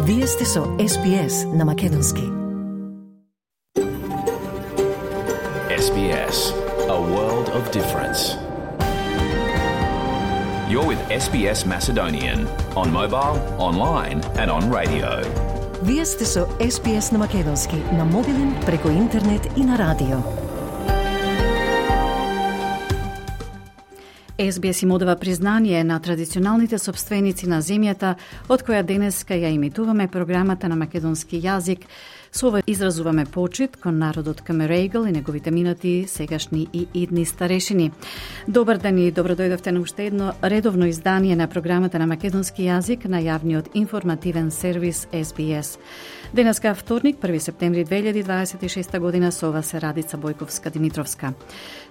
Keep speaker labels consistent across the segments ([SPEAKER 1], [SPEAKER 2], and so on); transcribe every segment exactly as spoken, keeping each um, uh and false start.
[SPEAKER 1] Вие сте со Ес Би Ес на Македонски.
[SPEAKER 2] Ес Би Ес, a world of difference. You're with Ес Би Ес Macedonian on mobile, online and on radio.
[SPEAKER 1] Вие сте со Ес Би Ес на Македонски, на мобилен, преку интернет и на радио. Ес Би Ес им одава признание на традиционалните собственици на земјата, од која денеска ја имитуваме програмата на македонски јазик. Со ова изразуваме почит кон народот Камерегл и неговите минати, сегашни и идни старешини. Добар ден и добро дојдовте на уште едно редовно издание на програмата на македонски јазик на јавниот информативен сервис Ес Би Ес. Денеска вторник, први септември две илјади дваесет и шеста година, со ова се Радица Бојковска-Димитровска.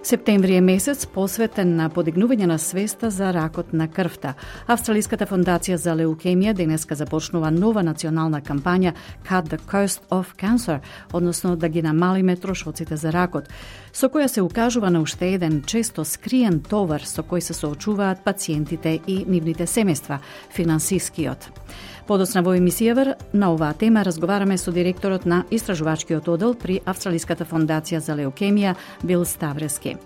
[SPEAKER 1] Септември е месец посветен на подигнување на свеста за ракот на крвта. Австралиската фондација за леукемија денеска започнува нова национална кампања Cut the Cost of Cancer, односно да ги намалиме трошоците за ракот, со која се укажува на уште еден често скриен товар со кој се соочуваат пациентите и нивните семејства, финансискиот. Подоцна во емисијава на оваа тема разговараме со директорот на истражувачкиот одел при Австралиската фондација за леукемија Бил Ставрески.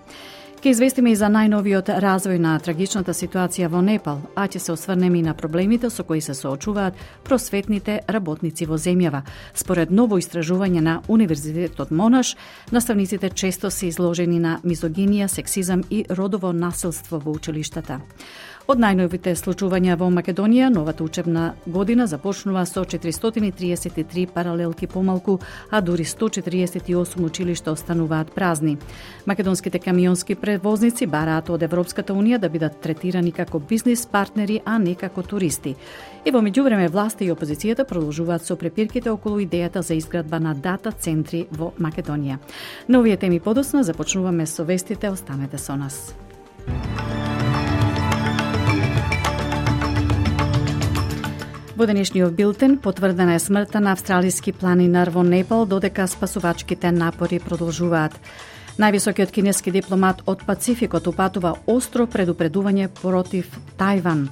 [SPEAKER 1] Ке известиме и за најновиот развој на трагичната ситуација во Непал, а ќе се осврнеме и на проблемите со кои се соочуваат просветните работници во земјава. Според ново истражување на Универзитетот Монаш, наставниците често се изложени на мизогинија, сексизам и родово насилство во училиштата. Од најновите случувања во Македонија, новата учебна година започнува со четиристотини триесет и три паралелки помалку, а дури сто четириесет и осум училишта остануваат празни. Македонските камионски превозници бараат од Европската унија да бидат третирани како бизнис партнери, а не како туристи. И во меѓувреме власта и опозицијата продолжуваат со препирките околу идејата за изградба на дата центри во Македонија. На овие теми подоцна започнуваме со вестите, останете со нас. Во денешниот билтен потврдена е смртта на австралиски планинар во Непал, додека спасувачките напори продолжуваат. Највисокиот кинески дипломат од Пацификот упатува остро предупредување против Тајван.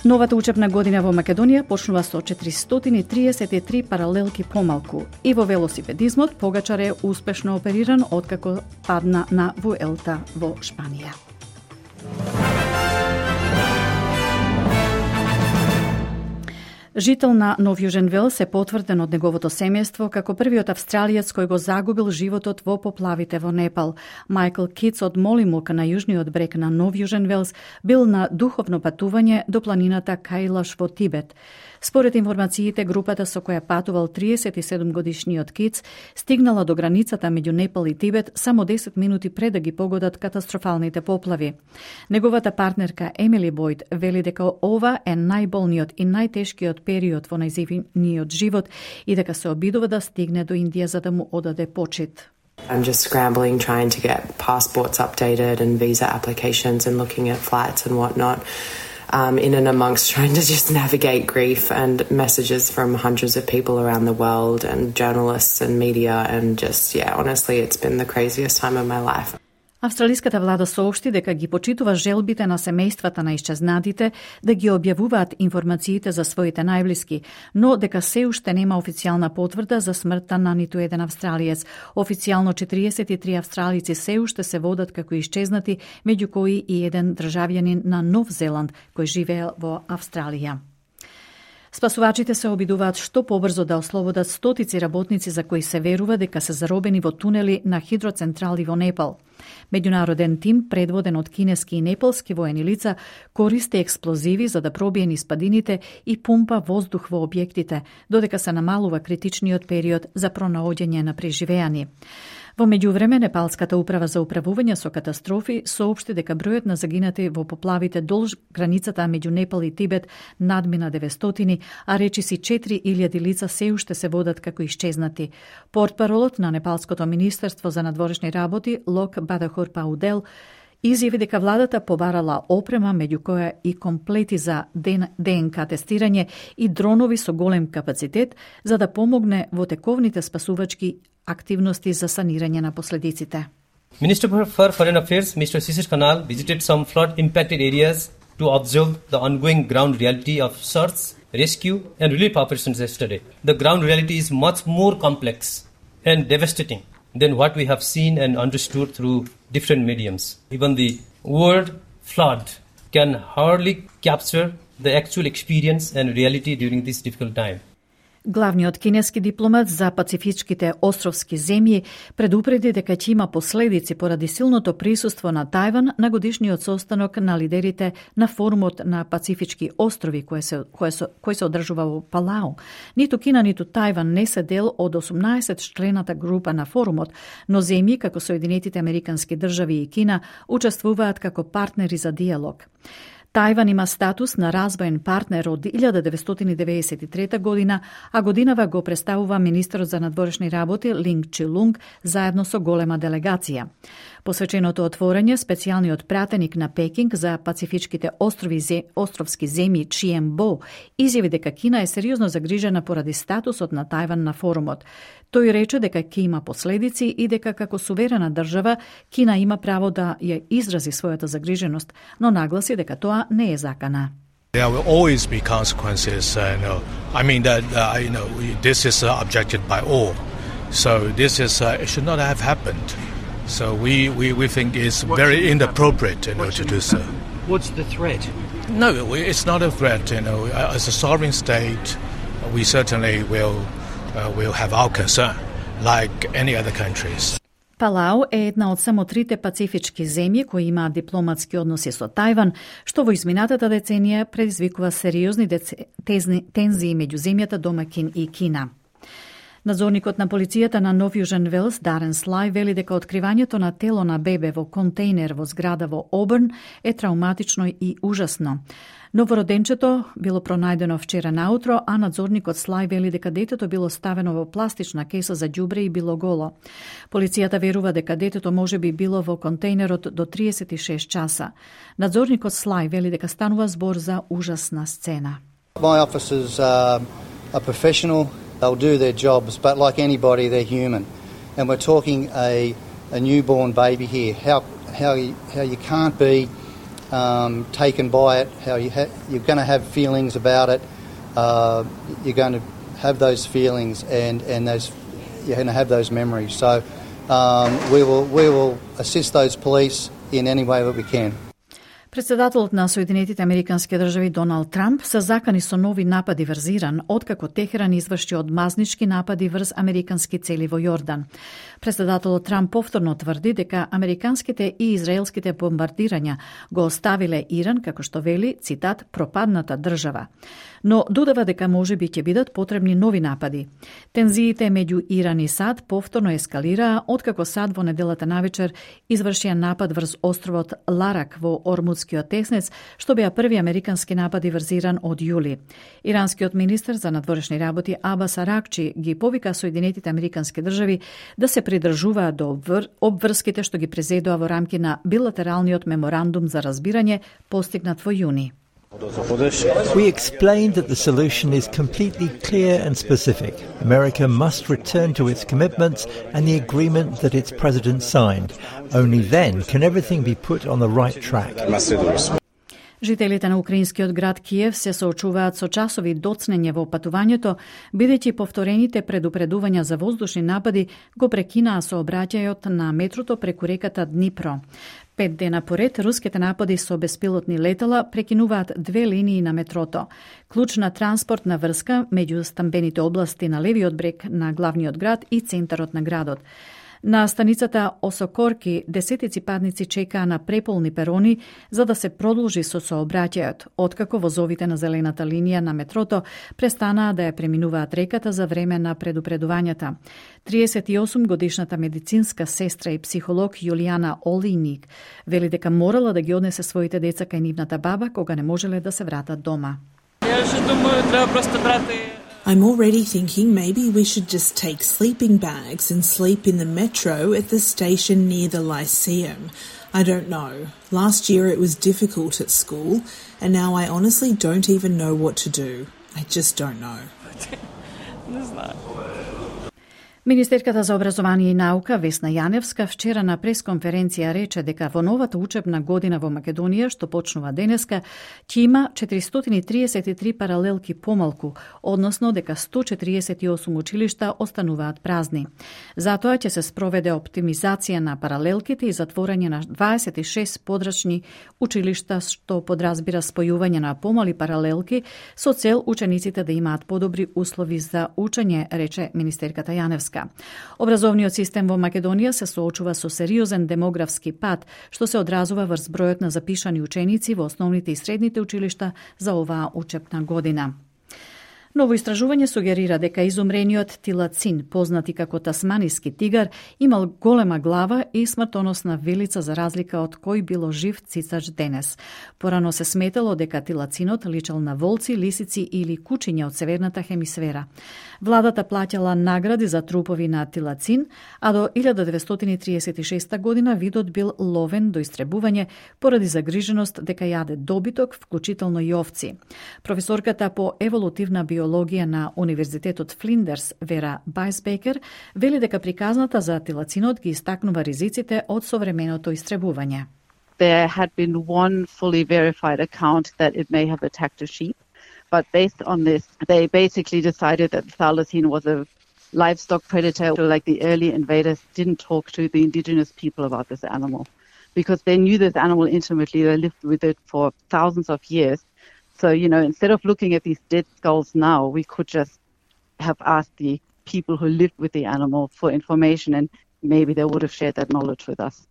[SPEAKER 1] Новата учебна година во Македонија почнува со четиристотини триесет и три паралелки помалку. И во велосипедизмот Погачар е успешно опериран откако падна на Вуелта во Шпанија. Жител на Нов Јужен Велс е потврден од неговото семејство како првиот австралиец кој го загубил животот во поплавите во Непал. Майкл Китс од Молимук на јужниот брег на Нов Јужен Велс бил на духовно патување до планината Кајлаш во Тибет. Според информациите, групата со која патувал триесет и седум годишниот Китс стигнала до границата меѓу Непал и Тибет само десет минути пред да ги погодат катастрофалните поплави. Неговата партнерка Емили Бойд вели дека ова е најболниот и најтешкиот период во нејзиниот живот и дека се обидува да стигне до Индија за да му одаде почит.
[SPEAKER 3] I'm just scrambling, trying to get passports updated and visa applications and looking at flights and whatnot. Um, in and amongst trying to just navigate grief and messages from hundreds of people around the world and journalists and media and just, yeah, honestly, it's been the craziest time of my life.
[SPEAKER 1] Австралиската влада соопшти дека ги почитува желбите на семејствата на исчезнатите да ги објавуваат информациите за своите најблиски, но дека се уште нема официјална потврда за смртта на ниту еден австралиец. Официјално четириесет и три австралици се уште се водат како исчезнати, меѓу кои и еден државјанин на Нов Зеланд кој живее во Австралија. Спасувачите се обидуваат што побрзо да ослободат стотици работници за кои се верува дека се заробени во тунели на хидроцентрали во Непал. Меѓународен тим, предводен од кинески и непалски воени лица, користи експлозиви за да пробие низ падините и пумпа воздух во објектите, додека се намалува критичниот период за пронаоѓање на преживеани. Во меѓувреме, Непалската управа за управување со катастрофи соопшти дека бројот на загинати во поплавите долж границата меѓу Непал и Тибет надмина деветстотини, а речиси четири илјади лица се уште се водат како исчезнати. Портпаролот на Непалското министерство за надворешни работи Лок Бадахур Паудел изјави дека владата побарала опрема, меѓу која и комплети за ДНК тестирање и дронови со голем капацитет, за да помогне во тековните спасувачки активности за санирање на последиците.
[SPEAKER 4] Minister for Foreign Affairs, Mister Shishir Khanal, visited some flood-impacted areas to observe the ongoing ground reality of search rescue and relief operations yesterday. The ground reality is much more complex and devastating than what we have seen and understood through different mediums. Even the word flood can hardly capture the actual experience and reality during this difficult time.
[SPEAKER 1] Главниот кинески дипломат за пацифичките островски земји предупреди дека ќе има последици поради силното присуство на Тајван на годишниот состанок на лидерите на форумот на Пацифички острови кој се, кој се, кој се одржува во Палау. Ниту Кина, ниту Тајван не се дел од осумнаесет члената група на форумот, но земји како Соединетите Американски држави и Кина учествуваат како партнери за диалог. Тајван има статус на развоен партнер од илјада деветстотини деветдесет и трета година, а годинава го представува министерот за надворешни работи Линг Чилунг заедно со голема делегација. Посвеченото отворање, специјалниот пратеник на Пекинг за пацифичките острови зе, островски земји Чиен Бо изјави дека Кина е сериозно загрижена поради статусот на Тајван на форумот. Тој рече дека ќе има последици и дека како суверена држава Кина има право да ја изрази својата загриженост, но нагласи дека тоа не е закана.
[SPEAKER 5] There will always be consequences. Uh, you know, I mean that uh, you know this is uh, objected by all, so this is uh, it should not have happened. So we, we, we think it's what's very inappropriate, you know, to do so.
[SPEAKER 6] What's the threat?
[SPEAKER 5] No, it's not a threat. You know, as a sovereign state, we certainly will uh, will have our concern, like any other countries.
[SPEAKER 1] Палау е една од само трите пацифички земји кои имаат дипломатски односи со Тајван, што во изминатата деценија предизвикува сериозни тензии меѓу земјата домакин и Кина. Надзорникот на полицијата на Нов Јужен Велс, Дарен Слај, вели дека откривањето на тело на бебе во контейнер во зграда во Оберн е травматично и ужасно. Новороденчето било пронајдено вчера наутро, а надзорникот Слај вели дека детето било ставено во пластична кеса за ѓубре и било голо. Полицијата верува дека детето може би било во контейнерот до триесет и шест часа. Надзорникот Слај вели дека станува збор за ужасна сцена.
[SPEAKER 7] My officers are, are professional. They'll do their jobs, but like anybody, they're human. And we're talking a, a newborn baby here. How how you, how you can't be um, taken by it. How you ha- you're going to have feelings about it. Uh, you're going to have those feelings, and, and those you're going to have those memories. So um, we will we will assist those police in any way that we can.
[SPEAKER 1] Председателот на Соединетите Американски држави Доналд Трамп се закани со нови напади врз Иран, откако Техеран изврши одмазнички напади врз американски цели во Јордан. Председателот Трамп повторно тврди дека американските и израелските бомбардирања го оставиле Иран, како што вели, цитат, пропадната држава. Но додава дека можеби ќе бидат потребни нови напади. Тензиите меѓу Иран и САД повторно ескалираа, откако САД во неделата навечер извршија напад врз островот Ларак во Ормудскиот теснец, што беа први американски напади врз Иран од јули. Иранскиот министер за надворешни работи Абас Аракчи ги повика Соединетите Американски држави да се придржуваат до обврските што ги презедоа во рамки на билатералниот меморандум за разбирање постигнат во јуни.
[SPEAKER 8] We explained that the solution is completely clear and specific. America must return to its commitments and the agreement that its president signed. Only then can everything be put on the right track.
[SPEAKER 1] Жителите на украинскиот град Киев се соочуваат со часови доцнење во патувањето, бидејќи повторените предупредувања за воздушни напади го прекинаа сообраќајот на метрото преку реката Днипро. Пет дена поред, руските напади со беспилотни летала прекинуваат две линии на метрото. Клучна транспортна врска меѓу стамбените области на левиот брег на главниот град и центарот на градот. На станицата Осокорки десетици патници чекаа на преполни перони за да се продолжи со сообраќајот, откако возовите на зелената линија на метрото престанаа да ја преминуваат реката за време на предупредувањата. триесет и осум годишната медицинска сестра и психолог Јулијана Олиник вели дека морала да ги однесе своите деца кај нивната баба кога не можеле да се вратат дома.
[SPEAKER 9] I'm already thinking maybe we should just take sleeping bags and sleep in the metro at the station near the Lyceum. I don't know. Last year it was difficult at school, and now I honestly don't even know what to do. I just don't know.
[SPEAKER 1] Министерката за образование и наука Весна Јаневска вчера на пресконференција рече дека во новата учебна година во Македонија, што почнува денеска, ќе има четиристотини и триесет и три паралелки помалку, односно дека сто четириесет и осум училишта остануваат празни. Затоа ќе се спроведе оптимизација на паралелките и затворање на дваесет и шест подрачни училишта, што подразбира спојување на помали паралелки со цел учениците да имаат подобри услови за учење, рече министерката Јаневска. Образовниот систем во Македонија се соочува со сериозен демографски пад, што се одразува врз бројот на запишани ученици во основните и средните училишта за оваа учебна година. Ново истражување сугерира дека изумрениот тилацин, познат и како тасманиски тигар, имал голема глава и смртоносна вилица за разлика од кој било жив цицач денес. Порано се сметало дека тилацинот личел на волци, лисици или кучиња од северната хемисфера. Владата плаќала награди за трупови на тилацин, а до илјада деветстотини триесет и шеста година видот бил ловен до истребување поради загриженост дека јаде добиток, вклучително и овци. Професорката по еволутивна биологија на Универзитетот Флиндерс, Вера Байсбекер, вели дека приказната за тилацинот ги истакнува ризиците од современото истребување.
[SPEAKER 6] There had been one fully verified account that it may have attacked a sheep. But based on this, they basically decided that the thylacine was a livestock predator. Like the early invaders didn't talk to the indigenous people about this animal because they knew this animal intimately. They lived with it for thousands of years. So, you know, instead of looking at these dead skulls now, we could just have asked the people who lived with the animal for information and maybe they would have shared that knowledge with us.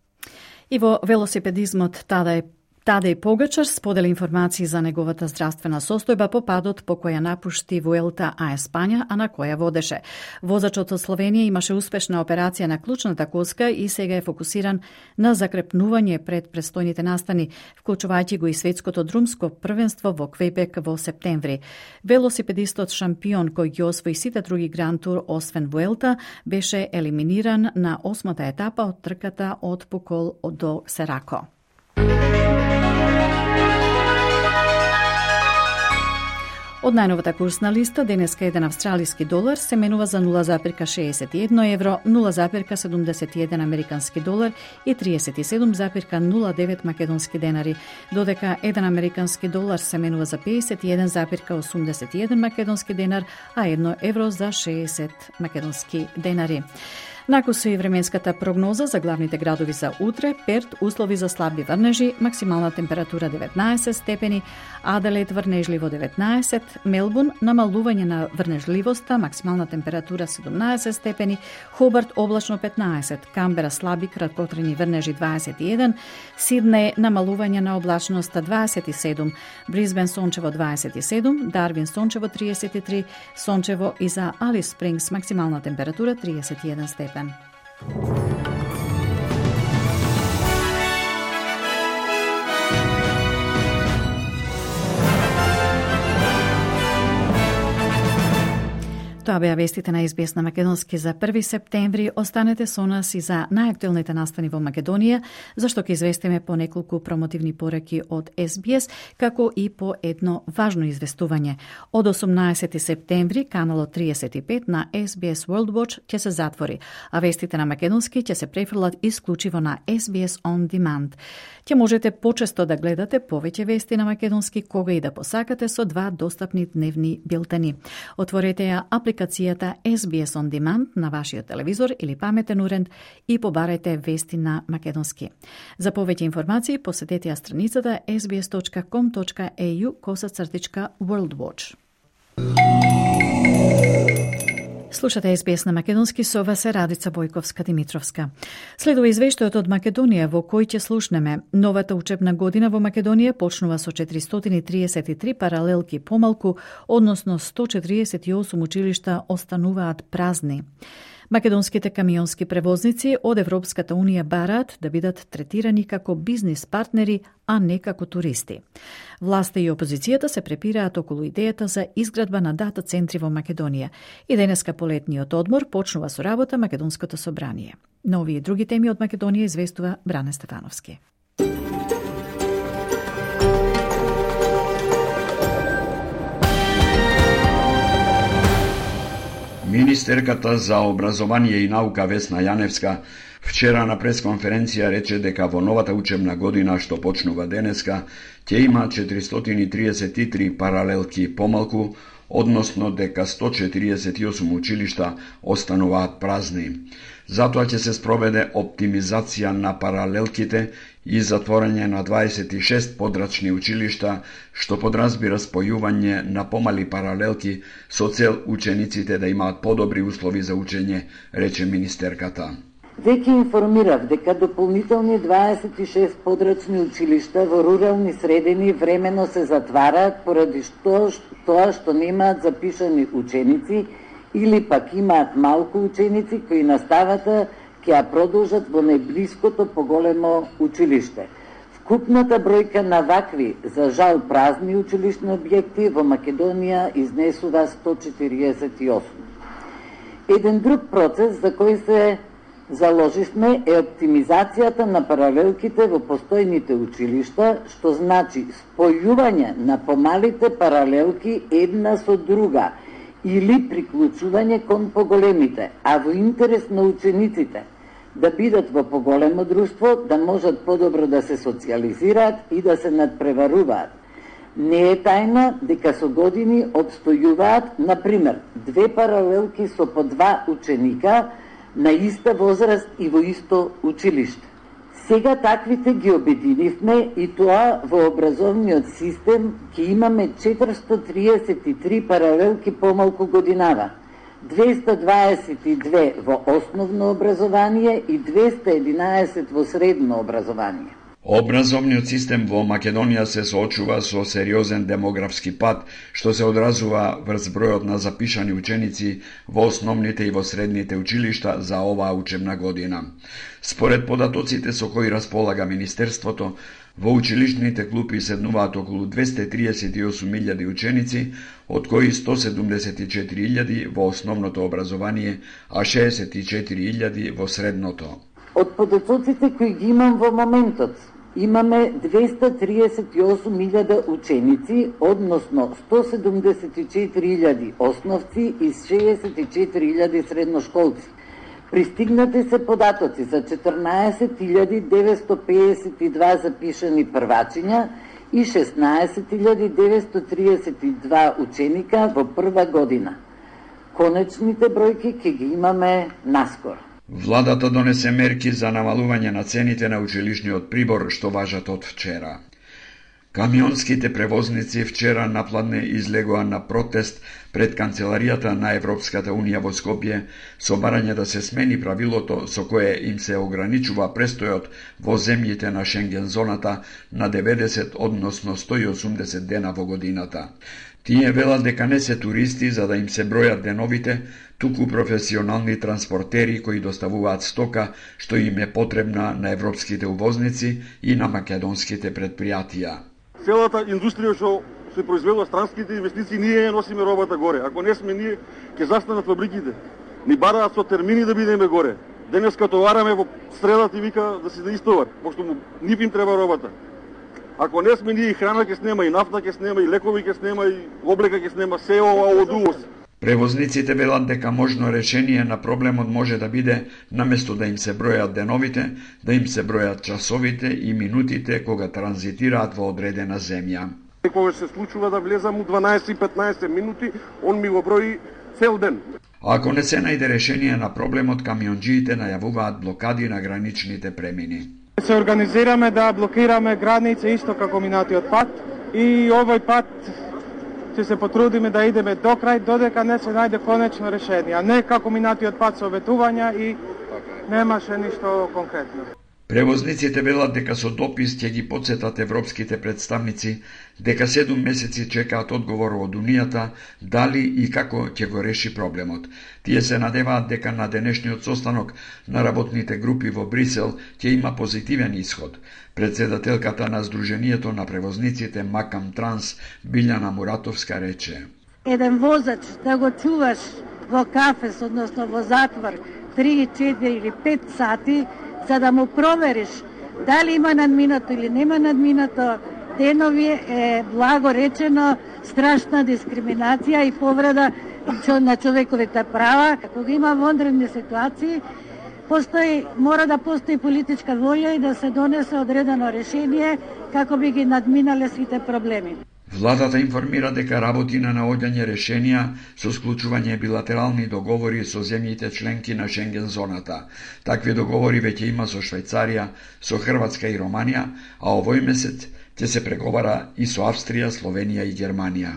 [SPEAKER 1] И во велосипедизмот Тадај Тадеј Погачар сподели информации за неговата здравствена состојба по падот по која напушти Вуелта а Еспања, а на која водеше. Возачот од Словенија имаше успешна операција на клучната коска и сега е фокусиран на закрепнување пред престојните настани, вклучувајќи го и светското друмско првенство во Квебек во септември. Велосипедистот шампион кој ги освои сите други гранд тур освен Вуелта беше елиминиран на осмата етапа од трката од Пукол до Серако. Од најновата курсна листа, денеска еден австралиски долар се менува за нула запирка шеесет и едно евро, нула запирка седумдесет и еден американски долар и триесет и седум запирка нула девет македонски денари, додека еден американски долар се менува за пеесет и еден запирка осумдесет и еден македонски денар, а едно евро за шеесет македонски денари. Накусу и временската прогноза за главните градови за утре: Перт услови за слаби врнежи, максимална температура деветнаесет степени, Аделаид врнежливо деветнаесет, Мелбурн намалување на врнежливоста, максимална температура седумнаесет степени, Хобарт облачно петнаесет, Камбера слаби краткотрени врнежи дваесет и еден, Сиднеј намалување на облачноста дваесет и седум, Брисбен сончево дваесет и седум, Дарвин сончево триесет и три, сончево и за Алис Спрингс максимална температура триесет и еден степен. Тоа беа вестите на Ес Би Ес на македонски за први септември. Останете со нас и за најактуелните настани во Македонија, зашто ќе известиме по неколку промотивни пораки од Ес Би Ес, како и по едно важно известување. Од осумнаесети септември, каналот триесет и пет на Ес Би Ес World Watch ќе се затвори, а вестите на македонски ќе се префрлат исклучиво на Ес Би Ес On Demand. Ќе можете почесто да гледате повеќе вести на македонски кога и да посакате со два достапни дневни билтени. Отворете ја апликацијата Ес Би Ес On Demand на вашиот телевизор или паметен уред и побарајте вести на македонски. За повеќе информации посетете ја страницата ес би ес точка ком точка е ю косацртичка World Watch. Слушате Ес Би Ес на македонски, со вас е Радица Бојковска-Димитровска. Следува извештајот од Македонија во кој ќе слушнеме. Новата учебна година во Македонија почнува со четиристотини и триесет и три паралелки помалку, односно сто четириесет и осум училишта остануваат празни. Македонските камионски превозници од Европската Унија бараат да бидат третирани како бизнис партнери, а не како туристи. Власта и опозицијата се препираат околу идејата за изградба на дата центри во Македонија. И денеска по летниот одмор почнува со работа Македонското собрание. На овие и други теми од Македонија известува Бране Стефановски.
[SPEAKER 10] Министерката за образование и наука Весна Јаневска вчера на пресконференција рече дека во новата учебна година што почнува денеска ќе има четиристотини и триесет и три паралелки помалку, односно дека сто четириесет и осум училишта остануваат празни. Затоа ќе се спроведе оптимизација на паралелките и затворање на дваесет и шест подрачни училишта, што подразбира спојување на помали паралелки со цел учениците да имаат подобри услови за учење, рече министерката.
[SPEAKER 11] Веќе информирав дека дополнителни дваесет и шест подрачни училишта во рурални средини времено се затвараат поради што, тоа што немаат запишани ученици или пак имаат малку ученици кои наставата ќе ја продолжат во најблиското поголемо училиште. Вкупната бројка на вакви, за жал празни училишни објекти во Македонија изнесува сто четириесет и осум. Еден друг процес за кој се заложивме е оптимизацијата на паралелките во постојните училишта, што значи спојување на помалите паралелки една со друга или приклучување кон поголемите, а во интерес на учениците да бидат во поголемо друштво, да можат подобро да се социјализираат и да се надпреваруваат. Не е тајна дека со години обстојуваат, например, две паралелки со по два ученика на иста возраст и во исто училиште. Сега таквите ги обединивме и тоа во образовниот систем ќе имаме четиристотини триесет и три паралелки помалку годинава, двеста дваесет и две во основно образование и двеста единаесет во средно образование.
[SPEAKER 10] Образовниот систем во Македонија се соочува со сериозен демографски пад, што се одразува врз бројот на запишани ученици во основните и во средните училишта за оваа учебна година. Според податоците со кои располага Министерството, во училишните клупи седнуваат околу двеста триесет и осум илјади ученици, од кои сто седумдесет и четири илјади во основното образование, а шеесет и четири илјади во средното.
[SPEAKER 11] Од податоците кои ги имам во моментот, имаме двеста триесет и осум илјади ученици, односно сто седумдесет и четири илјади основци и шеесет и четири илјади средношколци. Пристигнати се податоци за четрнаесет илјади деветсто пеесет и два запишани првачиња и шеснаесет илјади деветсто триесет и два ученика во прва година. Конечните бројки ќе ги имаме наскоро.
[SPEAKER 10] Владата донесе мерки за намалување на цените на училишниот прибор што важат од вчера. Камионските превозници вчера напладне излегоа на протест пред канцеларијата на Европската Унија во Скопје со барање да се смени правилото со кое им се ограничува престојот во земјите на Шенген зоната на деветдесет, односно сто и осумдесет дена во годината. Тие велат дека не се туристи за да им се бројат деновите, туку професионални транспортери кои доставуваат стока што им е потребна на европските увозници и на македонските предпријатија.
[SPEAKER 12] Целата индустрија што се произведува странските инвестиции, ние ја носиме робата горе. Ако не сме ние, ќе застанат фабриките. Ни бараат со термини да бидеме горе. Денеска товараме во средата и вика да се да истовар, пошто му нив им треба робата. Ако не сме ние, и храна ќе снема, и нафта ќе снема, и лекови ќе снема, и облека ќе снема, се ова од увоз.
[SPEAKER 10] Превозниците велат дека можно решение на проблемот може да биде, наместо да им се бројат деновите, да им се бројат часовите и минутите кога транзитираат во одредена земја.
[SPEAKER 12] Кога се случува да влезам у дванаесет и петнаесет минути, он ми го брои цел ден.
[SPEAKER 10] Ако не се најде решение на проблемот, камионџиите најавуваат блокади на граничните премини.
[SPEAKER 13] Се организираме да блокираме граница исто како минатиот пат и овој пат ќе се потрудиме да идеме до крај додека не се најде конечно решение, а не како минатиот пат со ветувања и немаше ништо конкретно.
[SPEAKER 10] Превозниците велат дека со допис ќе ги потсетат европските представници дека седум месеци чекаат одговор од Унијата дали и како ќе го реши проблемот. Тие се надеваат дека на денешниот состанок на работните групи во Брисел ќе има позитивен исход. Председателката на Сдруженијето на превозниците Макам Транс, Билјана Муратовска, рече:
[SPEAKER 14] Еден возач да го чуваш во кафес, односно во затвор, три, четири или пет сати, за да му провериш дали има надминато или нема надминато денови, е благо речено страшна дискриминација и повреда на човековите права. Кога има вонредни ситуации, постои, мора да постои политичка волја и да се донесе одредено решение како би ги надминале сите проблеми.
[SPEAKER 10] Владата информира дека работи на наоѓање решенија со склучување билатерални договори со земјите членки на Шенген зоната. Такви договори веќе има со Швајцарија, со Хрватска и Романија, а овој месец ќе се преговара и со Австрија, Словенија и Германија.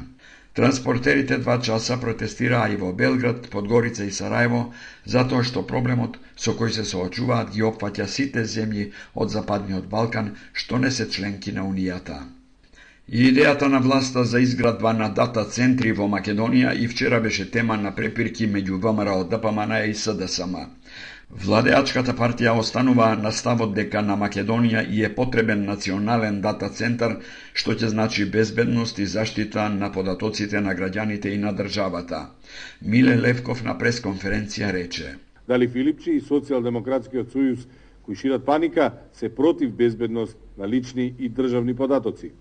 [SPEAKER 10] Транспортерите два часа протестираа и во Белград, Подгорица и Сараево, затоа што проблемот со кој се соочуваат ги опфаќа сите земји од Западниот Балкан што не се членки на Унијата. И идејата на власта за изградба на дата центри во Македонија и вчера беше тема на препирки меѓу ВМРО ДПМН и СДСМ. Владеачката партија останува на ставот дека на Македонија и е потребен национален дата центар, што ќе значи безбедност и заштита на податоците на граѓаните и на државата. Миле Левков на пресконференција рече:
[SPEAKER 15] Дали Филипчи и Социјалдемократскиот сојуз, кои шират паника, се против безбедност на лични и државни податоци?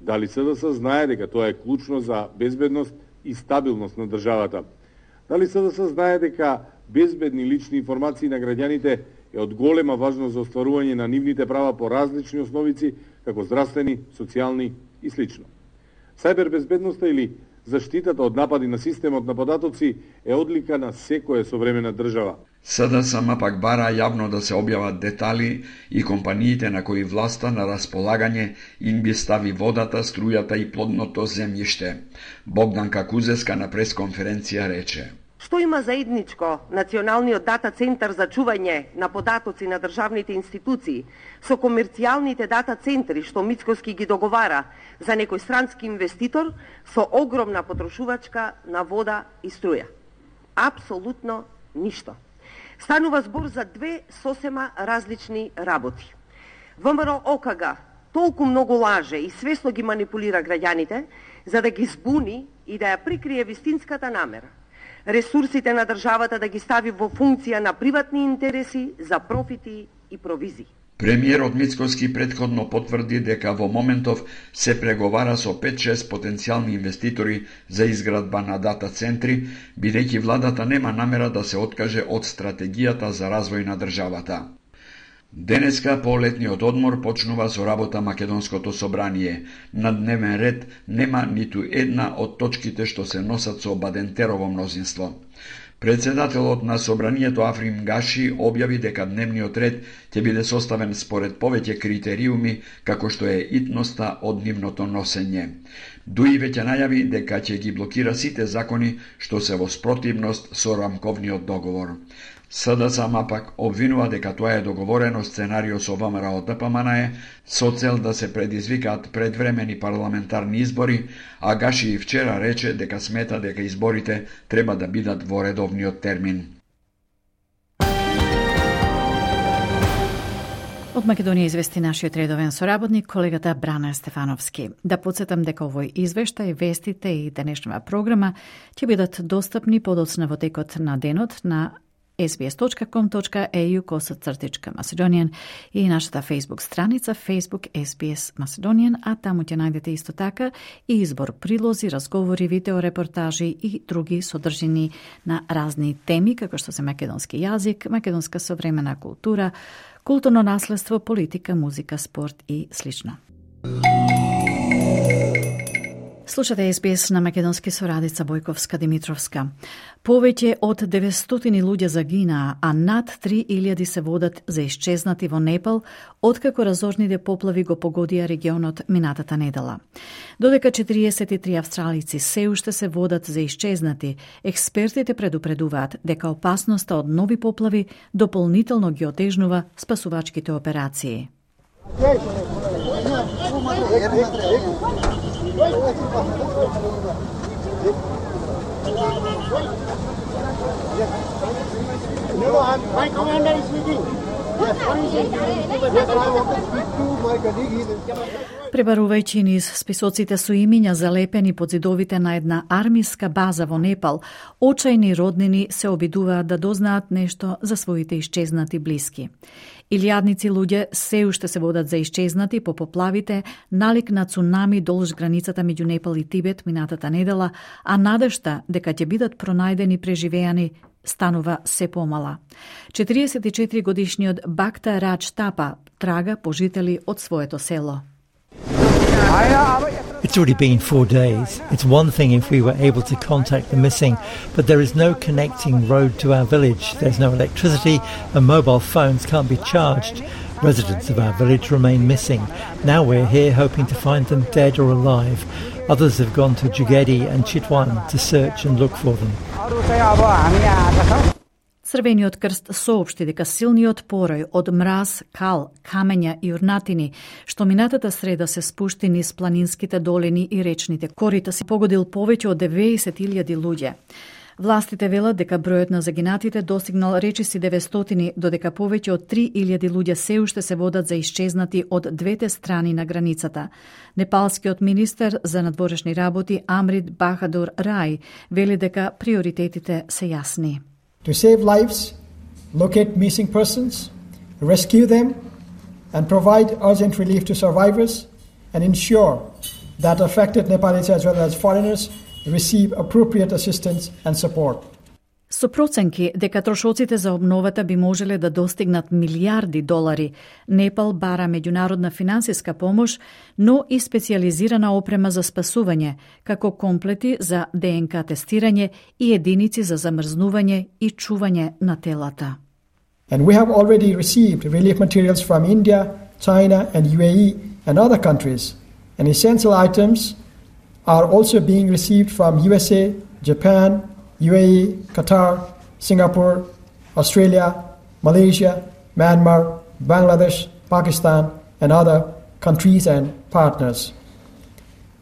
[SPEAKER 15] Дали СДС знае дека тоа е клучно за безбедност и стабилност на државата? Дали СДС знае дека безбедни лични информации на граѓаните е од голема важност за остварување на нивните права по различни основици, како здравствени, социјални и слично? Сајбер безбедноста или заштитата од напади на системот на податоци е одлика на секоја современа држава.
[SPEAKER 10] СДСМ пак бара јавно да се објават детали и компаниите на кои власта на располагање им би стави водата, струјата и плодното земјиште. Богданка Кузеска на пресконференција рече:
[SPEAKER 16] Што има заедничко Националниот дата центар за чување на податоци на државните институции со комерцијалните дата центри што Мицкоски ги договара за некој странски инвеститор со огромна потрошувачка на вода и струја? Апсолутно ништо. Станува збор за две сосема различни работи. ВМРО ОКГ толку многу лаже и свесно ги манипулира граѓаните за да ги збуни и да ја прикрие вистинската намера. Ресурсите на државата да ги стави во функција на приватни интереси за профити и провизии.
[SPEAKER 10] Премиерот Мицкоски претходно потврди дека во моментов се преговара со пет-шест потенцијални инвеститори за изградба на дата центри, бидејќи владата нема намера да се откаже од стратегијата за развој на државата. Денеска по летниот одмор почнува со работа Македонското собрание. На дневен ред нема ниту една од точките што се носат со Бадентерово мнозинство. Председателот на собранието Африм Гаши објави дека дневниот ред ќе биде составен според повеќе критериуми, како што е итноста од нивното носење. Дуи веќе најави дека ќе ги блокира сите закони што се во спротивност со рамковниот договор. СДСМ пак обвинува дека тоа е договорено сценарио со ВМРО ДПМН со цел да се предизвикаат предвремени парламентарни избори, а Гаши и вчера рече дека смета дека изборите треба да бидат во редовниот термин.
[SPEAKER 1] Од Македонија извести нашиот редовен соработник, колегата Брана Стефановски. Да подсетам дека овој извештај, вестите и денешната програма ќе бидат достапни подоцна во текот на денот на ес би ес точка ком точка е ю косацртичка Macedonian и нашата Facebook страница Facebook ес би ес Macedonian, а таму ќе најдете исто така и избор прилози, разговори, видеорепортажи и други содржини на разни теми, како што се македонски јазик, македонска современа култура, културно наследство, политика, музика, спорт и слично. Слушате ес би ес на македонски со Радица Бојковска Димитровска. Повеќе од деветстотини луѓе загинаа, а над три илјади се водат за исчезнати во Непал, откако разорните поплави го погодија регионот минатата недела. Додека четириесет и три австралици се уште се водат за исчезнати, експертите предупредуваат дека опасноста од нови поплави дополнително ги отежнува спасувачките операции.
[SPEAKER 17] No, I'm, my commander is speaking. Yes, what is it? Yes, I want to speak to my colleague.
[SPEAKER 1] Пребарувајќи низ списоците со имиња залепени под зидовите на една армиска база во Непал, очајни роднини се обидуваат да дознаат нешто за своите исчезнати блиски. Илјадници луѓе се уште се водат за исчезнати по поплавите, налик на цунами долж границата меѓу Непал и Тибет минатата недела, а надежта дека ќе бидат пронајдени преживеани станува се помала. четириесет и четири годишниот Бакта Радж Тапа трага по жители од своето село.
[SPEAKER 8] It's already been four days. It's one thing if we were able to contact the missing, but there is no connecting road to our village. There's no electricity and mobile phones can't be charged. Residents of our village remain missing. Now we're here hoping to find them dead or alive. Others have gone to Jugedi and Chitwan to search and look for them.
[SPEAKER 1] Црвениот крст соопшти дека силниот порој од мраз, кал, камења и урнатини, што минатата среда се спушти низ планинските долини и речните корита, се погодил повеќе од деветдесет илјади луѓе. Властите велат дека бројот на загинатите достигнал речиси деветстотини, додека повеќе од три илјади луѓе се уште се водат за исчезнати од двете страни на границата. Непалскиот министер за надворешни работи Амрит Бахадур Рај вели дека приоритетите се јасни.
[SPEAKER 18] To save lives, locate missing persons, rescue them, and provide urgent relief to survivors, and ensure that affected Nepalis as well as foreigners receive appropriate assistance and support.
[SPEAKER 1] Со проценки дека трошоците за обновата би можеле да достигнат милијарди долари, Непал бара меѓународна финансиска помош, но и специјализирана опрема за спасување, како комплети за ДНК тестирање и единици за замрзнување и чување на телата.
[SPEAKER 18] And we have already received relief materials from India, China and U A E and other countries, and essential items are also being received from U S A, Japan, U A E, Qatar, Singapore, Australia, Malaysia, Myanmar, Bangladesh, Pakistan, and other countries and partners.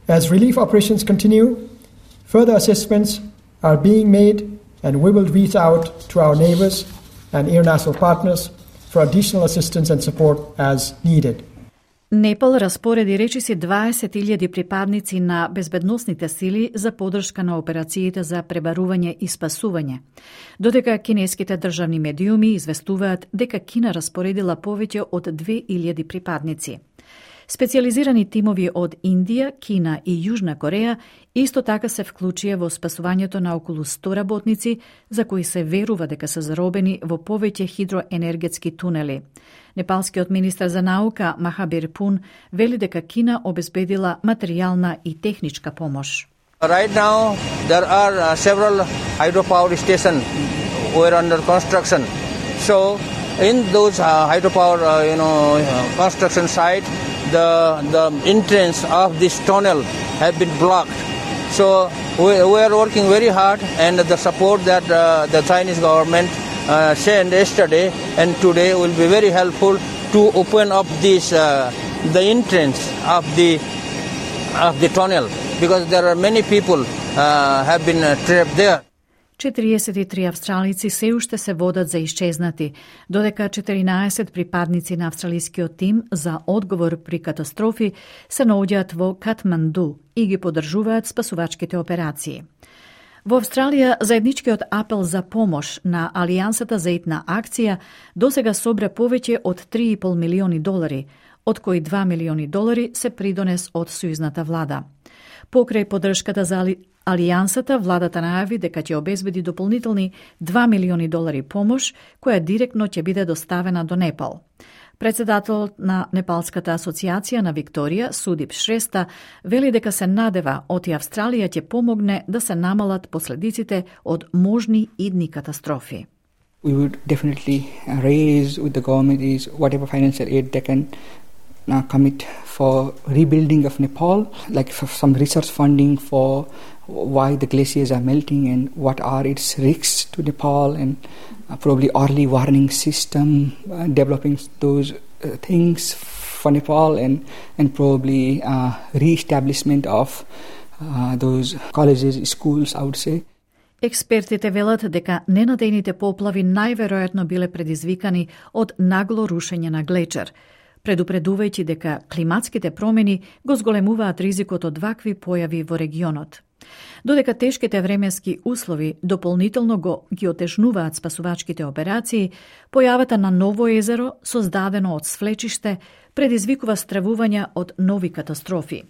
[SPEAKER 18] As relief operations continue, further assessments are being made, and we will reach out to our neighbors and international partners for additional assistance and support as needed.
[SPEAKER 1] Непал распореди речиси дваесет илјади припадници на безбедносните сили за подршка на операциите за пребарување и спасување, додека кинеските државни медиуми известуваат дека Кина распоредила повеќе од две илјади припадници. Специјализирани тимови од Индија, Кина и Јужна Кореја исто така се вклучија во спасувањето на околу сто работници за кои се верува дека се заробени во повеќе хидроенергетски тунели. Непалскиот министер за наука Махабир Пун вели дека Кина обезбедила материјална и техничка помош.
[SPEAKER 19] Right now there are uh, several hydropower stations were under construction. So in those uh, hydropower uh, you know uh, construction site, the the entrance of this tunnel have been blocked. So we, we are working very hard, and the support that uh, the Chinese government uh, sent yesterday and today will be very helpful to open up this uh, the entrance of the of the tunnel, because there are many people uh, have been uh, trapped there.
[SPEAKER 1] четириесет и три австралици се уште се водат за исчезнати, додека четиринаесет припадници на австралискиот тим за одговор при катастрофи се наоѓаат во Катманду и ги поддржуваат спасувачките операции. Во Австралија, заедничкиот апел за помош на Алијансата за итна акција досега собра повеќе од три и пол милиони долари, од кои два милиони долари се придонес од сојузната влада. Покрај поддршката за Али... Алијансата, владата најави дека ќе обезбеди дополнителни два милиони долари помош, која директно ќе биде доставена до Непал. Председателот на Непалската асоциација на Викторија, Судип Шреста, вели дека се надева оти Австралија ќе помогне да се намалат последиците од можни идни катастрофи.
[SPEAKER 20] We would definitely raise with the government is whatever financial aid they can uh, commit for rebuilding of Nepal, like for some research funding for why the glaciers are melting and what are its risks to Nepal, and uh, probably early warning system, uh, developing those uh, things for Nepal, and and probably uh, re-establishment of uh, those colleges, schools, I would say.
[SPEAKER 1] Експертите велат дека ненадејните поплави најверојатно биле предизвикани од нагло рушење на глечер, предупредувајќи дека климатските промени го зголемуваат ризикот од вакви појави во регионот. Додека тешките временски услови дополнително го ги отежнуваат спасувачките операции, појавата на ново езеро, создадено од свлечиште, предизвикува стравувања од нови катастрофи.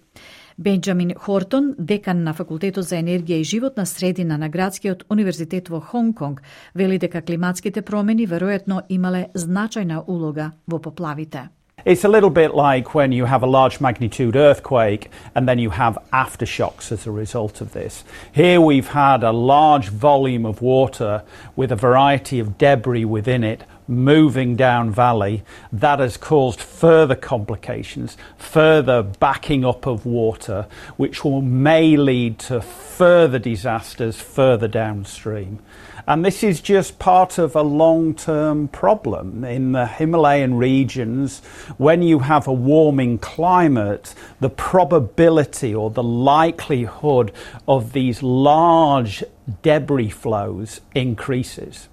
[SPEAKER 1] Бенџамин Хортон, декан на Факултетот за енергија и животна средина на Градскиот универзитет во Хонг Конг, вели дека климатските промени веројатно имале значајна улога во поплавите.
[SPEAKER 21] It's a little bit like when you have a large magnitude earthquake and then you have aftershocks as a result of this. Here we've had a large volume of water with a variety of debris within it moving down valley. That has caused further complications, further backing up of water, which will may lead to further disasters further downstream. And this is just part of a long-term problem. In the Himalayan regions, when you have a warming climate, the probability or the likelihood of these large debris flows increases.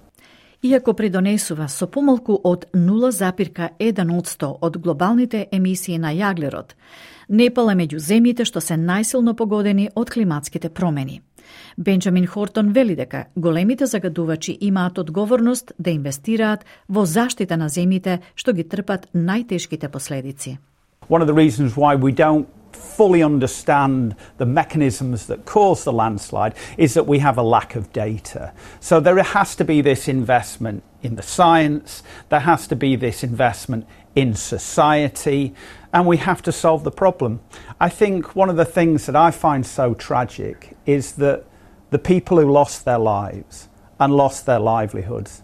[SPEAKER 1] Иако придонесува со помалку од нула запирка еден одсто од глобалните емисии на јаглерод, Непал е меѓу земјите што се најсилно погодени од климатските промени. Бенџамин Хортон вели дека големите загадувачи имаат одговорност да инвестираат во заштита на земјите што ги трпат најтешките последици.
[SPEAKER 21] One of the reasons why we don't fully understand the mechanisms that cause the landslide is that we have a lack of data. So there has to be this investment in the science, there has to be this investment in society, and we have to solve the problem. I think one of the things that I find so tragic is that the people who lost their lives and lost their livelihoods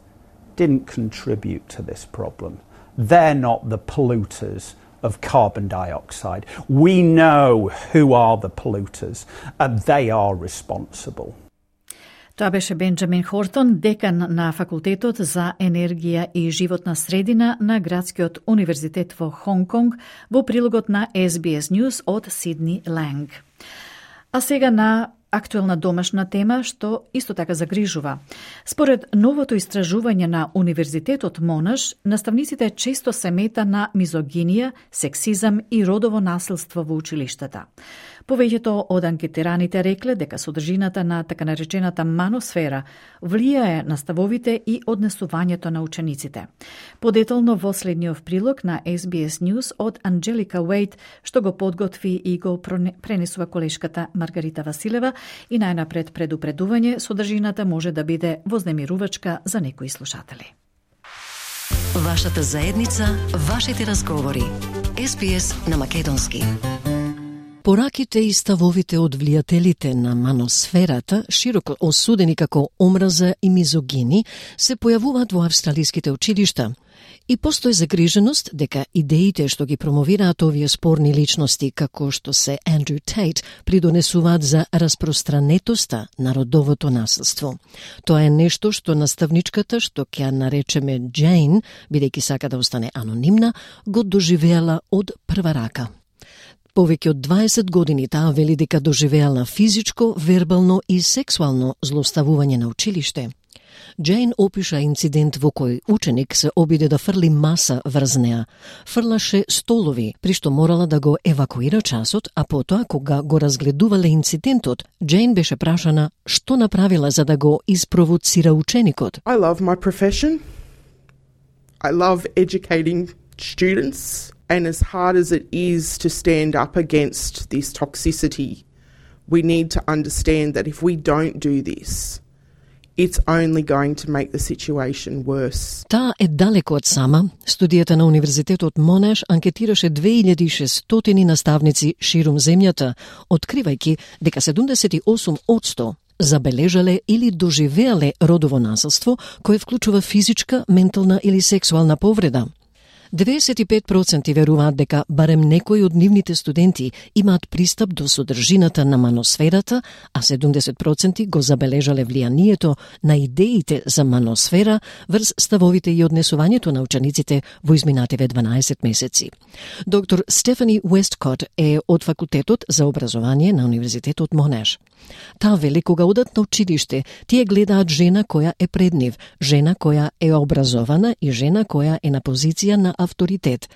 [SPEAKER 21] didn't contribute to this problem. They're not the polluters of carbon dioxide. We know who are the polluters, and they are responsible.
[SPEAKER 1] Тоа беше Бенџамин Хортон, декан на Факултетот за енергија и животна средина на Градскиот универзитет во Хонг Конг, во прилогот на Ес Би Ес News од Сидни Ланг. А сега на актуелна домашна тема што исто така загрижува. Според новото истражување на Универзитетот Монаш, наставниците често се мета на мизогинија, сексизам и родово насилство во училиштата. Повеќето од анкетираните рекле дека содржината на така наречената маносфера влијае на ставовите и однесувањето на учениците. Подетално во следниот прилог на Ес Би Ес News од Анџелика Уейт, што го подготви и го пренесува колешката Маргарита Василева, и најнапред предупредување, содржината може да биде вознемирувачка за некои слушатели.
[SPEAKER 22] Вашата заедница, вашите разговори. Ес Би Ес на македонски. Пораките и ставовите од влијателите на маносферата, широко осудени како омраза и мизогини, се појавуваат во австралиските училишта. И постои загриженост дека идеите што ги промовираат овие спорни личности, како што се Андрю Тейт, придонесуваат за распространетоста на родовото насилство. Тоа е нешто што наставничката, што ќе ја наречеме Джейн, бидејќи сака да остане анонимна, го доживеала од прва рака. Повеќе од дваесет години таа вели дека доживеала физичко, вербално и сексуално злоставување на училиште. Джейн опиша инцидент во кој ученик се обиде да фрли маса врз неа. Фрлаше столови, при што морала да го евакуира часот, а потоа кога го разгледувале инцидентот, Джейн беше прашана што направила за да го испровоцира ученикот.
[SPEAKER 23] I love my profession. I love educating students. And as hard as it is to stand up against this toxicity, we need to understand that if we don't do this, it's only going to make the situation worse.
[SPEAKER 22] Таа е далеко од сама. Студијата на Универзитетот Монаш анкетираше две илјади и шестстотини наставници ширум земјата, откривајќи дека седумдесет и осум одсто забележале или доживеале родово насилство, кое вклучува физичка, ментална или сексуална повреда. деветдесет и пет проценти веруваат дека барем некои од нивните студенти имаат пристап до содржината на маносферата, а седумдесет проценти го забележале влијанието на идеите за маносфера врз ставовите и однесувањето на учениците во изминативе дванаесет месеци. Доктор Стефани Уесткот е од Факултетот за образование на Универзитетот Монаш. Таа вели кога одат на училиште, тие гледаат жена која е пред нив, жена која е образована и жена која е на позиција на авторитет.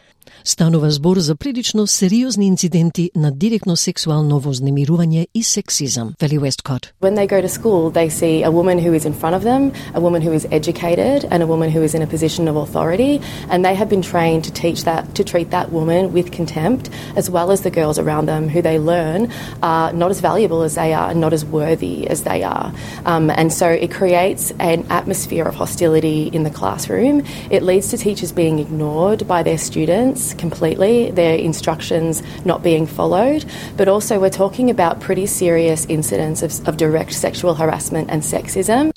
[SPEAKER 22] Станува збор за прилично сериозни инциденти на директно сексуално вознемирување и сексизам, вели Westcott.
[SPEAKER 2] When they go to school, they see a woman who is in front of them, a woman who is educated, and a woman who is in a position of authority, and they have been trained to teach that, to treat that woman with contempt, as well as the girls around them who they learn are not as valuable as they are, not as worthy as they are. Um, and so it creates an atmosphere of hostility in the classroom. It leads to teachers being ignored by their students completely, their instructions not being followed, but also we're talking about pretty serious incidents of, of direct sexual harassment and sexism.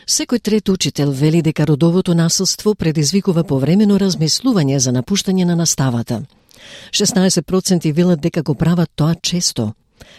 [SPEAKER 22] Секој трет учител вели дека родовото насилство предизвикува повремено размислување за напуштање на наставата. шеснаесет проценти велат дека го прават тоа често.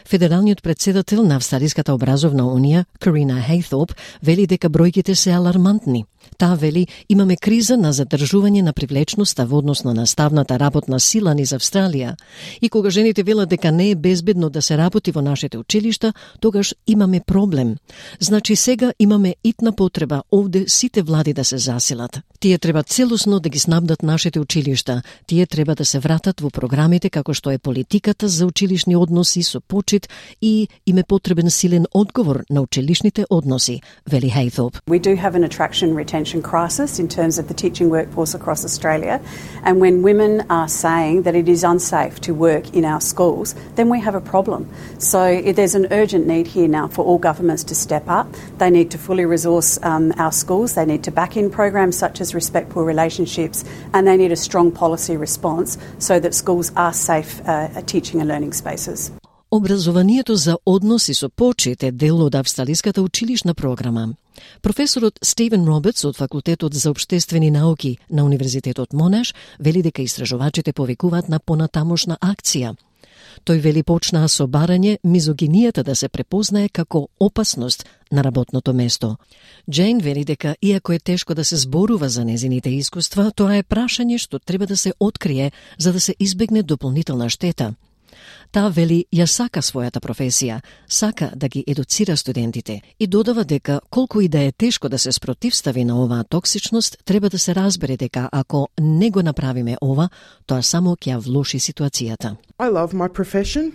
[SPEAKER 22] Федералниот председател на Австралиската образовна унија, Карина Хејтоп, вели дека бројките се алармантни. Таа вели, имаме криза на задржување на привлечноста во однос на наставната работна сила низ Австралија. И кога жените велат дека не е безбедно да се работи во нашите училишта, тогаш имаме проблем. Значи сега имаме итна потреба овде сите влади да се засилат. Тие треба целосно да ги снабдат нашите училишта. Тие треба да се вратат во програмите како што е политиката за училишни односи со почит и им е потребен силен одговор на училишните односи, вели Хејтоп.
[SPEAKER 3] We do have an attraction retention crisis in terms of the teaching workforce across Australia, and when women are saying that it is unsafe to work in our schools, then we have a problem. So there's an urgent need here now for all governments to step up. They need to fully resource um, our schools, they need to back in programs such as respectful relationships, and they need a strong policy response so that schools are safe uh, teaching and learning spaces.
[SPEAKER 22] Образованието за односи со почит е дел од австралиската училишна програма. Професорот Стивен Робертс од Факултетот за општествени науки на Универзитетот Монаш вели дека истражувачите повикуваат на понатамошна акција. Тој вели почнаа со барање мизогинијата да се препознае како опасност на работното место. Джейн вели дека иако е тешко да се зборува за незините искуства, тоа е прашање што треба да се открие за да се избегне дополнителна штета. Таа вели ја сака својата професија, сака да ги едуцира студентите и додава дека колку и да е тешко да се спротивстави на оваа токсичност, треба да се разбере дека ако не го направиме ова, тоа само ќе ја влоши ситуацијата.
[SPEAKER 23] I love my profession.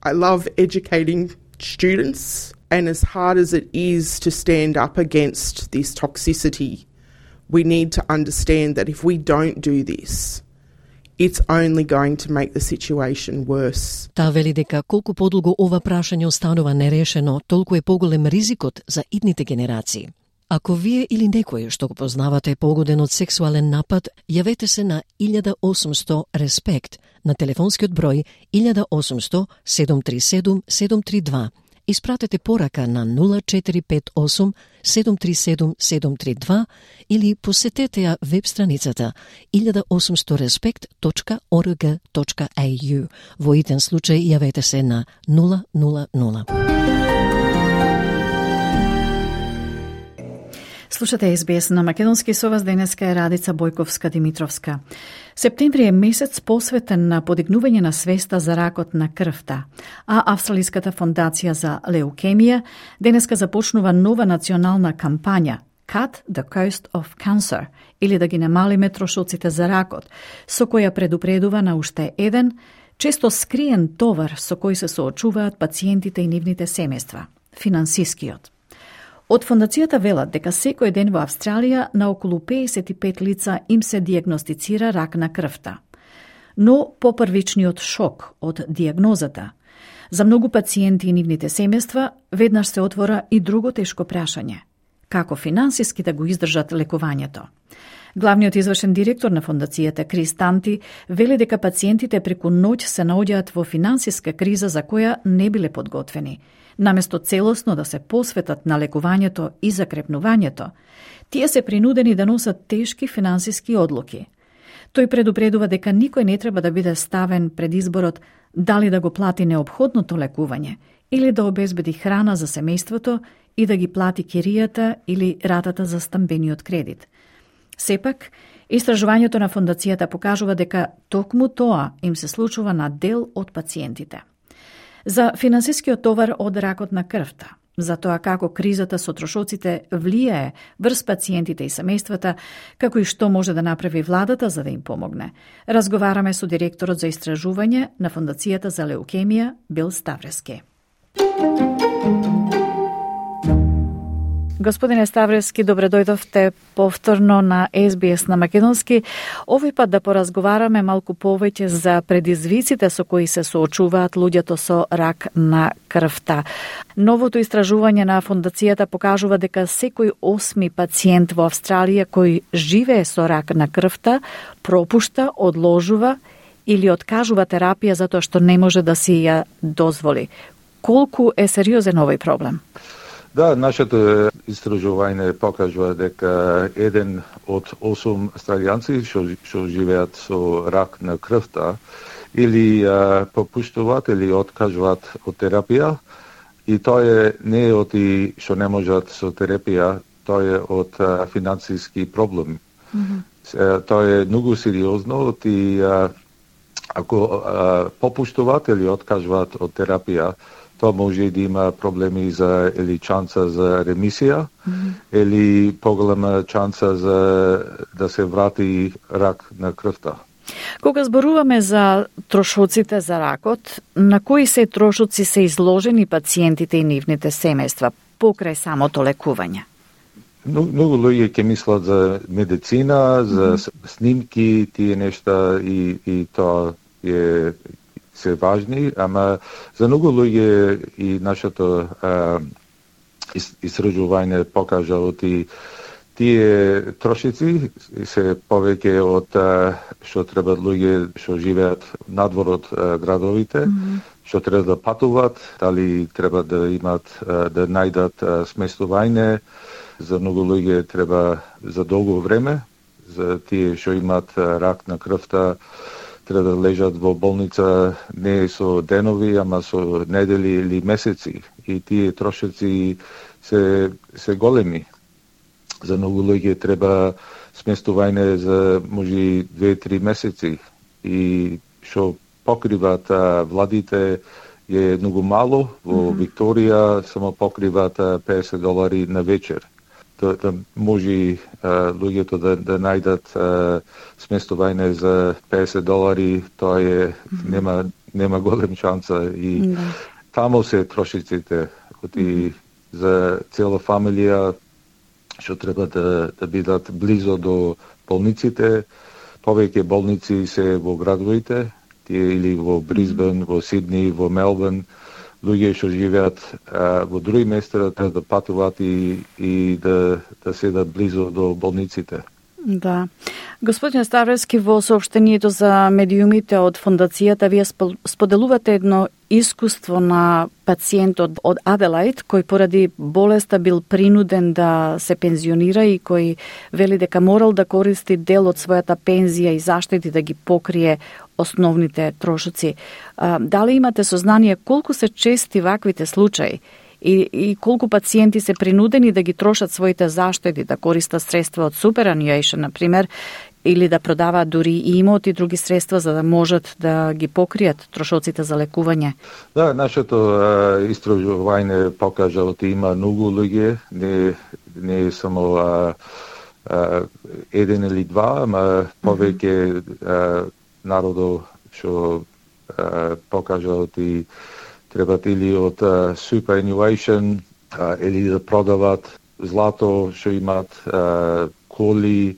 [SPEAKER 23] I love educating students, and as hard as it is to stand up against this toxicity, we need to understand that if we don't do this, it's only going to make the situation worse.
[SPEAKER 22] Таа вели дека колку подолго ова прашање останува нерешено, толку е поголем ризикот за идните генерации. Ако вие или некој што го познавате е погоден од сексуален напад, јавете се на илјада осумсто респект на телефонскиот број илјада осумсто седум три седум седум три два. Испратете порака на нула четири пет осум седум три седум седум три два или посетете ја веб страницата илјада осумсто респект точка орг точка ей ю. Во итен случај јавете се на нула нула нула.
[SPEAKER 1] Слушате Ес Би Ес на македонски, со вас денеска е Радица Бојковска-Димитровска. Септември е месец посветен на подигнување на свеста за ракот на крвта, а Австралиската фондација за леукемија денеска започнува нова национална кампања Cut the Cost of Cancer, или да ги намалиме трошоците за ракот, со која предупредува на уште еден, често скриен товар со кој се соочуваат пациентите и нивните семејства – финансискиот. Од фондацијата велат дека секој ден во Австралија на околу педесет и пет лица им се диагностицира рак на крвта. Но попрвичниот шок од диагнозата за многу пациенти и нивните семејства веднаш се отвора и друго тешко прашање: како финансиски да го издржат лекувањето? Главниот извршен директор на фондацијата Крис Танти вели дека пациентите преку ноќ се наоѓаат во финансиска криза за која не биле подготвени. Наместо целосно да се посветат на лекувањето и закрепнувањето, тие се принудени да носат тешки финансиски одлуки. Тој предупредува дека никој не треба да биде ставен пред изборот дали да го плати неопходното лекување или да обезбеди храна за семејството и да ги плати киријата или ратата за стамбениот кредит. Сепак, истражувањето на фондацијата покажува дека токму тоа им се случува на дел од пациентите. За финансискиот товар од ракот на крвта, за тоа како кризата со трошоците влијае врз пациентите и семејствата, како и што може да направи владата за да им помогне. Разговараме со директорот за истражување на Фондацијата за леукемија Бил Ставрески. Господине Ставрески, добре дојдовте повторно на Ес Би Ес на македонски. Овој пат да поразговараме малку повеќе за предизвиците со кои се соочуваат луѓето со рак на крвта. Новото истражување на фондацијата покажува дека секој осми пациент во Австралија кој живее со рак на крвта пропушта, одложува или откажува терапија затоа што не може да си ја дозволи. Колку е сериозен овој проблем?
[SPEAKER 4] Да, нашето истражување покажува дека еден од осум австралијанци што, што живеат со рак на крвта или а, попуштуваат или откажуваат од терапија, и тоа е не е од и што не можат со терапија, тоа е од а, финансиски проблем. Mm-hmm. Тоа е многу сериозно и а, ако а, попуштуваат или откажуваат од терапија, тоа може да има проблеми за или шанса за ремисија, mm-hmm. или поголема шанса за да се врати рак на крвта.
[SPEAKER 1] Кога зборуваме за трошоците за ракот, на кои се трошоци се изложени пациентите и нивните семејства покрај самото лекување?
[SPEAKER 4] Многу луѓе ќе мислат за медицина, за mm-hmm. снимки, тие нешта, и, и тоа е се важни, ама за многу луѓе и нашето а, истражување покажа од и тие трошици се повеќе од а, што треба луѓе што живеат надвор од а, градовите, mm-hmm. што треба да патуват, дали треба да имат а, да најдат а, сместување. За многу луѓе треба за долго време, за тие што имат а, рак на крвта, треба да лежат во болница не со денови, ама со недели или месеци. И тие трошици се, се големи. За многу луѓе треба сместување за може две-три месеци. И што покриват а, владите е многу мало. Во mm-hmm. Викторија само покриват а, песет долари на вечер. Да, да може а, луѓето да, да најдат а, сместување за песет долари, тоа е mm-hmm. нема нема голем шанса, и mm-hmm. таму се трошиците и за цела фамилија што треба да да бидат близо до болниците. Повеќе болници се во градовите, тие или во Брисбен, mm-hmm. во Сидни, во Мелбурн. Луѓе што живеат а, во други места треба да патуваат и, и да, да седат близо до болниците.
[SPEAKER 1] Да. Господин Ставрески, во соопштението за медиумите од фондацијата вие споделувате едно искуство на пациентот од Аделаид кој поради болеста бил принуден да се пензионира и кој вели дека морал да користи дел од својата пензија и заштети да ги покрие основните трошоци. А, дали имате сознание колку се чести ваквите случаи и, и колку пациенти се принудени да ги трошат своите заштеди, да користат средства од superannuation, например, или да продаваат дури и имоти и други средства за да можат да ги покријат трошоците за лекување?
[SPEAKER 4] Да, нашето истражување покажа дека има многу луѓе, не, не само а, а, еден или два, ама повеќе mm-hmm. народо што покажа дека требат или од uh, superannuation uh, или да продават злато што имат, uh, коли,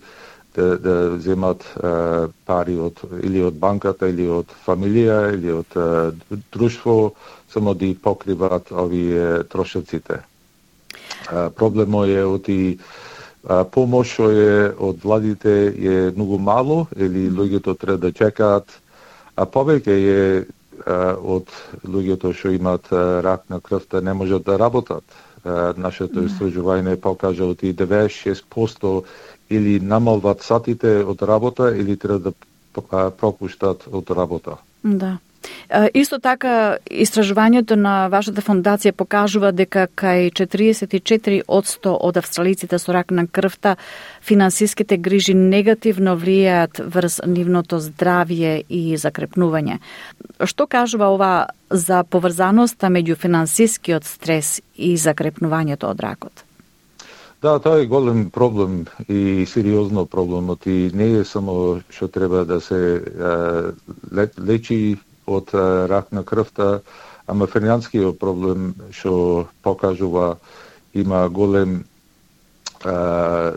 [SPEAKER 4] да, да земат uh, пари од, или од банката, или од фамилија, или од uh, друштво, само да покриваат овие трошоците. Uh, проблемот е од и uh, помош што е од владите е многу мало, или луѓето треба да чекаат, а повеќе е од луѓето што имаат рак на крвта не можат да работат. Нашето истражување покажа дека деветдесет и шест проценти или намалват сатите од работа или треба да пропуштат од работа.
[SPEAKER 1] Да. Исто така, истражувањето на вашата фондација покажува дека кај четириесет и четири одсто од австралиците со рак на крвта финансиските грижи негативно влијаат врз нивното здравје и закрепнување. Што кажува ова за поврзаноста меѓу финансискиот стрес и закрепнувањето од ракот?
[SPEAKER 4] Да, тоа е голем проблем и сериозно проблемот и не е само што треба да се а, лечи од а, рак на крвта, ама финансискиот проблем што покажува има голем а,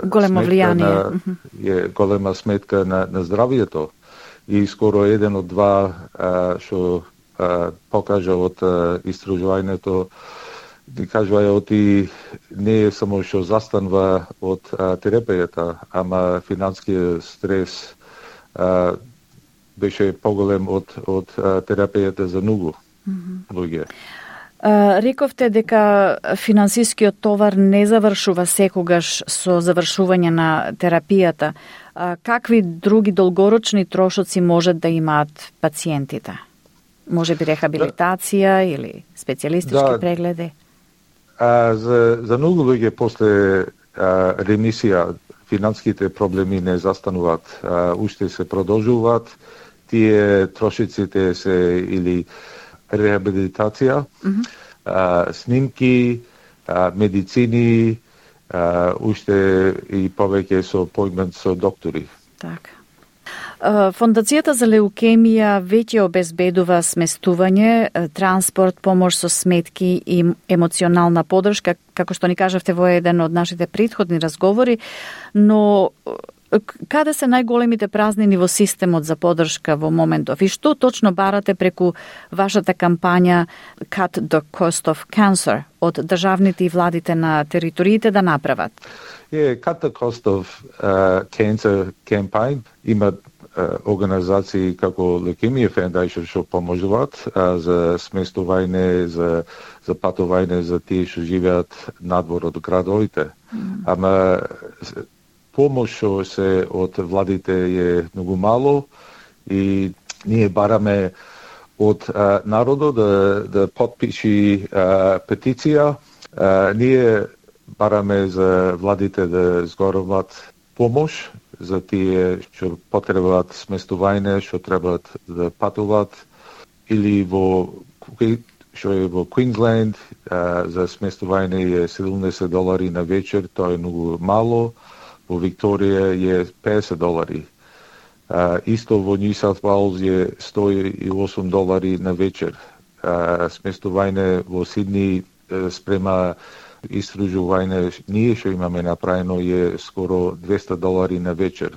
[SPEAKER 1] големо влијание.
[SPEAKER 4] Е голема сметка на, на здравјето и скоро еден од два а, што а, покажа од а, истражувањето Ти кажува оти не е само што застанува од а, терапијата, ама финанскиот стрес а, беше поголем од од а, терапијата за многу луѓе.
[SPEAKER 1] Uh, рековте дека финансискиот товар не завршува секогаш со завршување на терапијата. Uh, какви други долгорочни трошоци можат да имаат пациентите? Може би рехабилитација да. Или специјалистички да. Прегледи?
[SPEAKER 4] А, за, за многу луѓе после а, ремисија финанските проблеми не застануваат, а, уште се продолжуваат. Тие трошиците се или рехабилитација, mm-hmm. а, снимки, а, медицини, а, уште и повеќе со појмент со доктори.
[SPEAKER 1] Така. Фондацијата за леукемија веќе обезбедува сместување, транспорт, помош со сметки и емоционална подршка, како што ни кажавте во еден од нашите претходни разговори, но каде се најголемите празнини во системот за подршка во моментов и што точно барате преку вашата кампања Cut the Cost of Cancer од државните и владите на териториите да направат?
[SPEAKER 4] Yeah, Cut the Cost of uh, Cancer campaign има организации како Leukemia Foundation што поможуваат за сместување, за за патување за тие што живеат надвор од градовите. Mm. Ама помош што се од владите е многу мало и ние бараме од а, народот да да потпиши а, петиција. А, ние бараме за владите да згоруваат помош за тие што потребуваат сместување, што требаат да патуваат, или во што е во Квинсленд за сместување е седумдесет долари на вечер, тоа е многу мало. Во Викторија е песет долари. Исто во Нью Саут Вејлс е сто и осум долари на вечер. Сместување во Сидни спрема истражување ние што имаме направено е скоро двесте долари на вечер.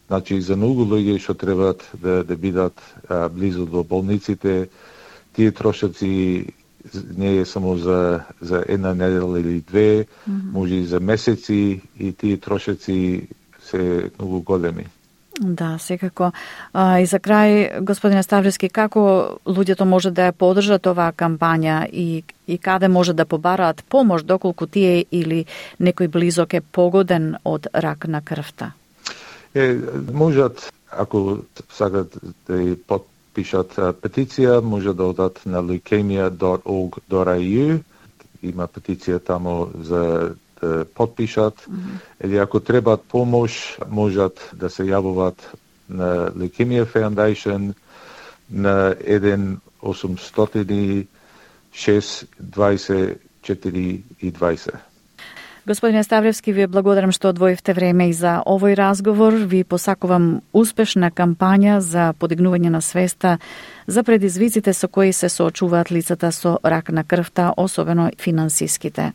[SPEAKER 4] Значи за многу луѓе што требаат да да бидат а, близу до болниците, тие трошоци не е само за за една недела или две, mm-hmm. може и за месеци и тие трошоци се многу големи.
[SPEAKER 1] Да, секако. А, и за крај, господине Ставлевски, како луѓето може да ја поддржат оваа кампања и, и каде може да побараат помош доколку тие или некој близок е погоден од рак на крвта?
[SPEAKER 4] Е, можат, ако сакат да ја подпишат петиција, може да одат на leukemia dot org dot a u. Има петиција тамо за да подпишат, mm-hmm. или ако требаат помош, можат да се јавуваат на Leukemia Foundation на еден осумстотини шест дваесет четири и дваесет.
[SPEAKER 1] Господине Ставлевски, ви благодарам што одвоивте време и за овој разговор. Ви посакувам успешна кампања за подигнување на свеста за предизвиците со кои се соочуваат лицата со рак на крвта, особено финансиските.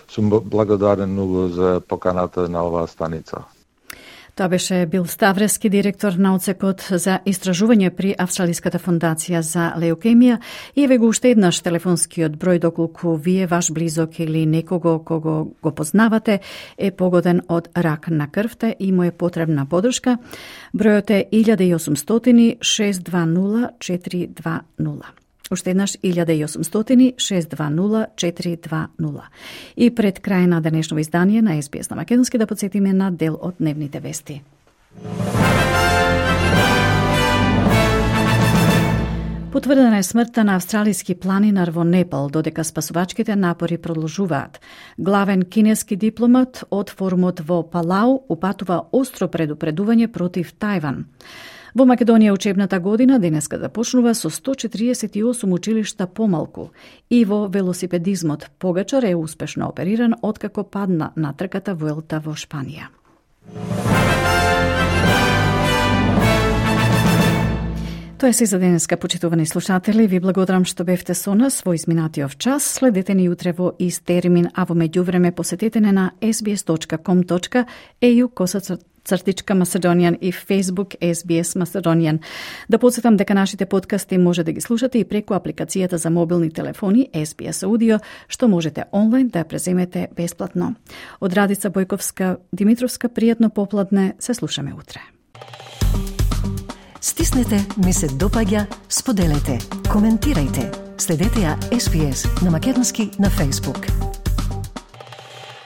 [SPEAKER 4] Сум благодарен многу за поканата на оваа станица.
[SPEAKER 1] Тоа беше Бил Ставлевски, директор на одсекот за истражување при Австралиската фондација за леукемија. И еве го уште еднаш телефонскиот број доколку вие, ваш близок или некого кого го познавате е погоден од рак на крвта и му е потребна подршка. Бројот е илјада и осумстотини шест дваесет нула четири два нула. Уште еднаш илјада и осумстотини шест дваесет нула четири два нула. И пред крај на денешно издание на Ес Би Ес на македонски да подсетиме на дел од дневните вести. Потврдена е смртта на австралиски планинар во Непал, додека спасувачките напори продолжуваат. Главен кинески дипломат од форумот во Палау упатува остро предупредување против Тајван. Во Македонија учебната година денеска започнува со сто четиридесет и осум училишта помалку и во велосипедизмот Погачар е успешно опериран откако падна на трката Vuelta во Шпанија. Тоа е се за денеска, почитувани слушатели. Ви благодарам што бевте со нас во изминатиот час. Следете ни утре во ист термин, а во меѓувреме посетете не на ес би ес точка ком точка е ю косаца цртичка Macedonian и Facebook ес би ес Macedonian. Да подсетам дека нашите подкасти може да ги слушате и преку апликацијата за мобилни телефони ес би ес Audio, што можете онлайн да ја преземете бесплатно. Од Радица Бојковска Димитровска, пријатно попладне, се слушаме утре.
[SPEAKER 22] Стиснете, ми се допаѓа, споделете, коментирајте. Следете ја ес би ес на македонски на Facebook.